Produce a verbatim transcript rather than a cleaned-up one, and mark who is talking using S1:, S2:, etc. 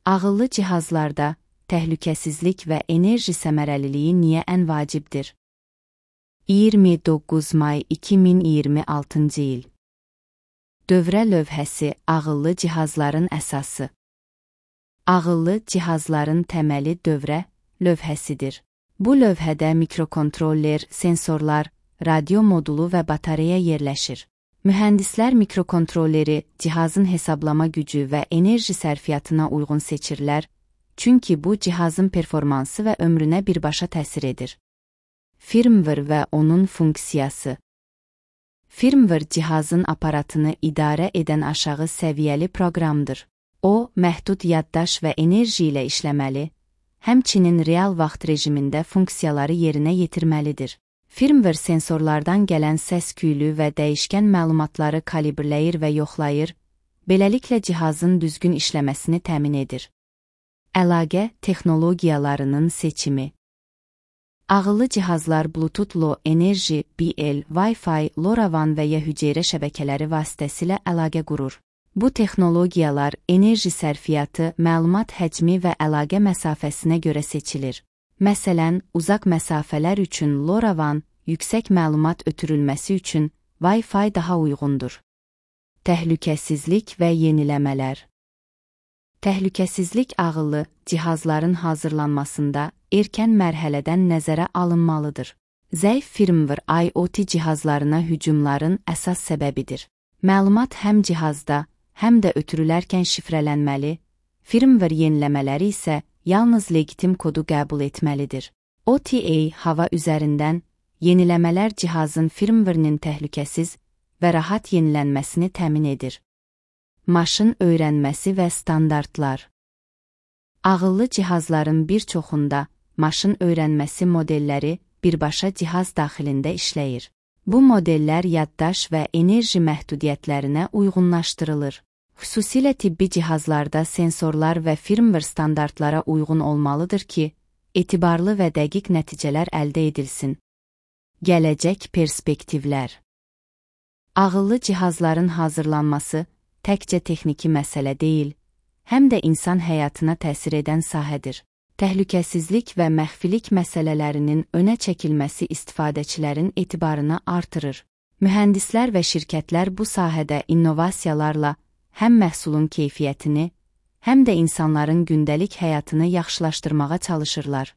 S1: Ağıllı cihazlarda təhlükəsizlik və enerji səmərəliliyi niyə ən vacibdir? iyirmi doqquz may iki min iyirmi altıncı il. Dövrə lövhəsi ağıllı cihazların əsası. Ağıllı cihazların təməli dövrə lövhəsidir. Bu lövhədə mikrokontroller, sensorlar, radio modulu və batareya yerləşir. Mühəndislər mikrokontrolleri cihazın hesablama gücü və enerji sərfiyyatına uyğun seçirlər, çünki bu cihazın performansı və ömrünə birbaşa təsir edir. Firmware və onun funksiyası. Firmware cihazın aparatını idarə edən aşağı səviyyəli proqramdır. O, məhdud yaddaş və enerji ilə işləməli, həmçinin real vaxt rejimində funksiyaları yerinə yetirməlidir. Firmware sensorlardan gələn səs-küylü və dəyişkən məlumatları kalibrləyir və yoxlayır, beləliklə cihazın düzgün işləməsini təmin edir. Əlaqə texnologiyalarının seçimi. Ağıllı cihazlar Bluetooth Low Energy, B L, Wi-Fi, LoRaWAN və ya hüceyrə şəbəkələri vasitəsilə əlaqə qurur. Bu texnologiyalar enerji sərfiyyatı, məlumat həcmi və əlaqə məsafəsinə görə seçilir. Məsələn, uzaq məsafələr üçün LoRaWAN, yüksək məlumat ötürülməsi üçün Wi-Fi daha uyğundur. Təhlükəsizlik və yeniləmələr. Təhlükəsizlik ağıllı cihazların hazırlanmasında erkən mərhələdən nəzərə alınmalıdır. Zəif firmware I o T cihazlarına hücumların əsas səbəbidir. Məlumat həm cihazda, həm də ötürülərkən şifrələnməli, firmware yeniləmələri isə yalnız legitim kodu qəbul etməlidir. O T A hava üzərindən yeniləmələr cihazın firmware'nin təhlükəsiz və rahat yenilənməsini təmin edir. Maşın öyrənməsi və standartlar. Ağıllı cihazların bir çoxunda maşın öyrənməsi modelləri birbaşa cihaz daxilində işləyir. Bu modellər yaddaş və enerji məhdudiyyətlərinə uyğunlaşdırılır. Xüsusilə tibbi cihazlarda sensorlar və firmware standartlara uyğun olmalıdır ki, etibarlı və dəqiq nəticələr əldə edilsin. Gələcək perspektivlər. Ağıllı cihazların hazırlanması təkcə texniki məsələ deyil, həm də insan həyatına təsir edən sahədir. Təhlükəsizlik və məxfilik məsələlərinin önə çəkilməsi istifadəçilərin etibarını artırır. Mühəndislər və şirkətlər bu sahədə innovasiyalarla həm məhsulun keyfiyyətini, həm də insanların gündəlik həyatını yaxşılaşdırmağa çalışırlar.